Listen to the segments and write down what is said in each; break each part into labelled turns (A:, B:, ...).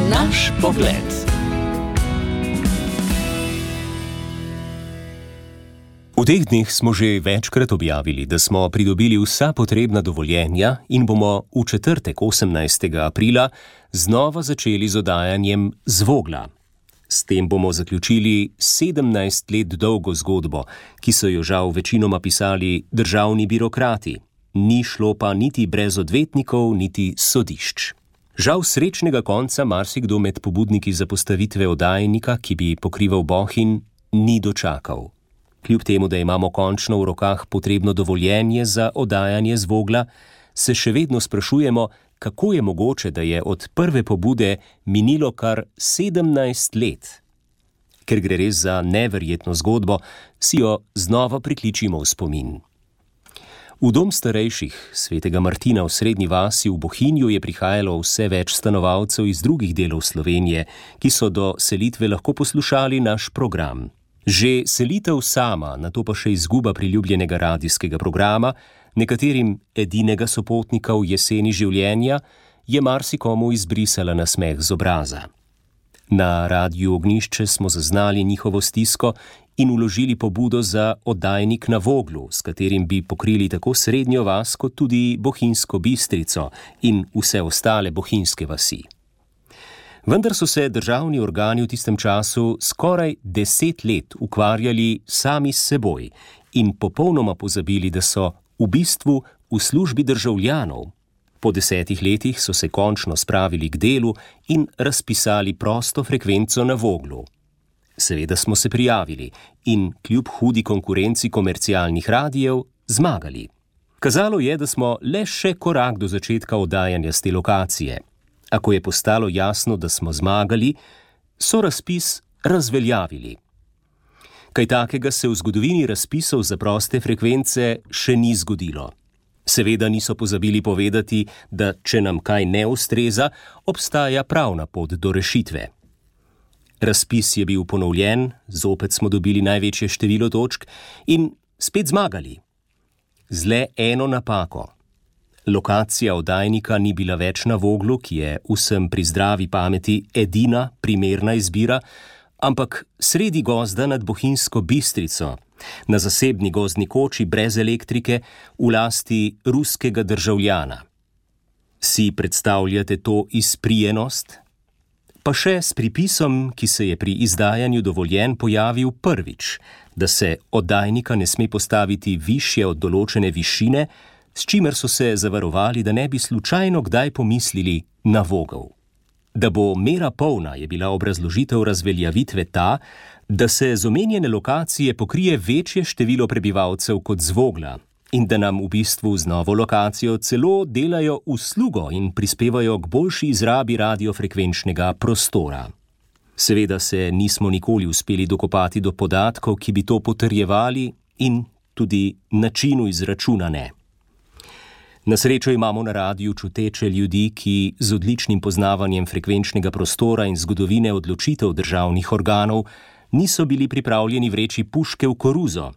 A: Naš pogled. V teh dneh smo že večkrat objavili, da smo pridobili vsa potrebna dovoljenja in bomo v četrtek 18. aprila znova začeli z oddajanjem Zvogla. S tem bomo zaključili 17 let dolgo zgodbo, ki so jo žal večinoma pisali državni birokrati. Ni šlo pa niti brez odvetnikov, niti sodišč. Žal srečnega konca marsikdo med pobudniki za postavitve oddajnika, ki bi pokrival Bohinj, ni dočakal. Kljub temu, da imamo končno v rokah potrebno dovoljenje za oddajanje Zvogla, se še vedno sprašujemo, kako je mogoče, da je od prve pobude minilo kar 17 let. Ker gre res za neverjetno zgodbo, si jo znova prikličimo v spomin. V dom starejših svetega Martina v Srednji vasi v Bohinju je prihajalo vse več stanovalcev iz drugih delov Slovenije, ki so do selitve lahko poslušali naš program. Že selitev sama, nato pa še izguba priljubljenega radijskega programa, nekaterim edinega sopotnika v jeseni življenja, je marsikomu izbrisala nasmeh z obraza. Na Radiu Ognjišče smo zaznali njihovo stisko in vložili pobudo za oddajnik na Voglu, s katerim bi pokrili tako Srednjo vas kot tudi Bohinjsko Bistrico in vse ostale bohinjske vasi. Vendar so se državni organi v tistem času skoraj 10 let ukvarjali sami s seboj in popolnoma pozabili, da so v bistvu v službi državljanov. Po 10 letih so se končno spravili k delu in razpisali prosto frekvenco na Voglu. Seveda smo se prijavili in kljub hudi konkurenci komercialnih radijev zmagali. Kazalo je, da smo le še korak do začetka oddajanja s te lokacije. A ko je postalo jasno, da smo zmagali, so razpis razveljavili. Kaj takega se v zgodovini razpisov za proste frekvence še ni zgodilo. Seveda niso pozabili povedati, da če nam kaj ne ustreza, obstaja pravna pot do rešitve. Razpis je bil ponovljen, zopet smo dobili največje število točk in spet zmagali. Z le eno napako. Lokacija oddajnika ni bila več na Voglu, ki je vsem pri zdravi pameti edina primerna izbira, ampak sredi gozda nad Bohinjsko Bistrico, na zasebni gozdni koči brez elektrike, v lasti ruskega državljana. Si predstavljate to izprijenost? Pa še s pripisom, ki se je pri izdajanju dovoljenj pojavil prvič, da se oddajnika ne sme postaviti višje od določene višine, s čimer so se zavarovali, da ne bi slučajno kdaj pomislili na Vogel. Da bo mera polna, je bila obrazložitev razveljavitve ta, da se z omenjene lokacije pokrije večje število prebivalcev kot z Vogla in da nam v bistvu z novo lokacijo celo delajo uslugo in prispevajo k boljši izrabi radiofrekvenčnega prostora. Seveda se nismo nikoli uspeli dokopati do podatkov, ki bi to potrjevali in tudi načinu izračuna ne. Na srečo imamo na radiju čuteče ljudi, ki z odličnim poznavanjem frekvenčnega prostora in zgodovine odločitev državnih organov niso bili pripravljeni vreči puške v koruzo.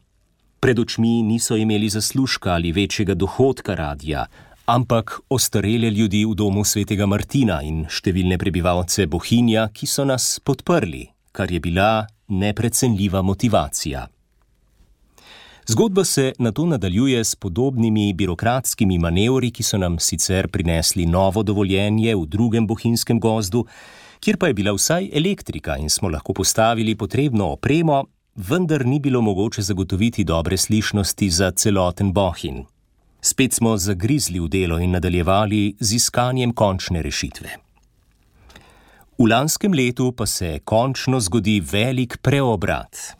A: Pred očmi niso imeli zaslužka ali večjega dohodka radija, ampak ostarele ljudi v domu svetega Martina in številne prebivalce Bohinja, ki so nas podprli, kar je bila neprecenljiva motivacija. Zgodba se nato nadaljuje s podobnimi birokratskimi manevri, ki so nam sicer prinesli novo dovoljenje v drugem bohinjskem gozdu, kjer pa je bila vsaj elektrika in smo lahko postavili potrebno opremo, vendar ni bilo mogoče zagotoviti dobre slišnosti za celoten Bohinj. Spet smo zagrizli v delo in nadaljevali z iskanjem končne rešitve. V lanskem letu pa se končno zgodi velik preobrat.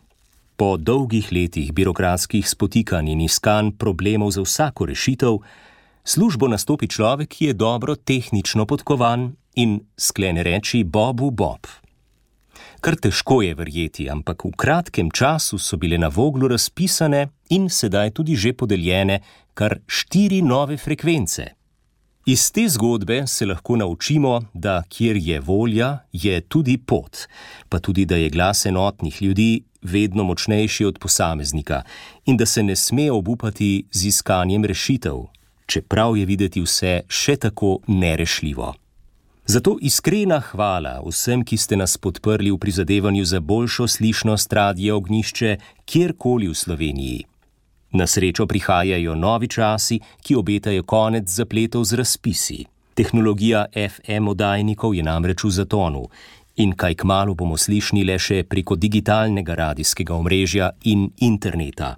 A: Po dolgih letih birokratskih spotikanj in iskanj problemov za vsako rešitev, službo nastopi človek, ki je dobro tehnično podkovan in sklene reči Bobu Bob. Kar težko je verjeti, ampak v kratkem času so bile na Voglu razpisane in sedaj tudi že podeljene kar 4 nove frekvence. Iz te zgodbe se lahko naučimo, da kjer je volja, je tudi pot, pa tudi, da je glas enotnih ljudi vedno močnejši od posameznika in da se ne sme obupati z iskanjem rešitev, čeprav je videti vse še tako nerešljivo. Zato iskrena hvala vsem, ki ste nas podprli v prizadevanju za boljšo slišnost Radia Ognjišče kjerkoli v Sloveniji. Na srečo prihajajo novi časi, ki obetajo konec zapletov z razpisi. Tehnologija FM oddajnikov je namreč v zatonu in kaj kmalu bomo slišni le še preko digitalnega radijskega omrežja in interneta.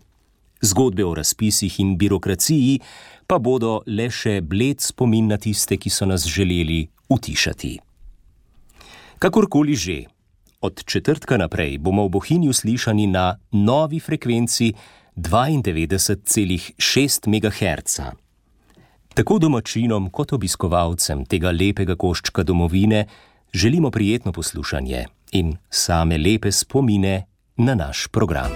A: Zgodbe o razpisih in birokraciji pa bodo le še bled spomin na tiste, ki so nas želeli utišati. Kakorkoli že, od četrtka naprej bomo v Bohinju slišani na novi frekvenci 92,6 MHz. Tako domačinom kot obiskovalcem tega lepega koščka domovine želimo prijetno poslušanje in same lepe spomine na naš program.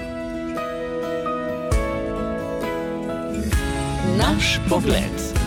B: Naš pogled.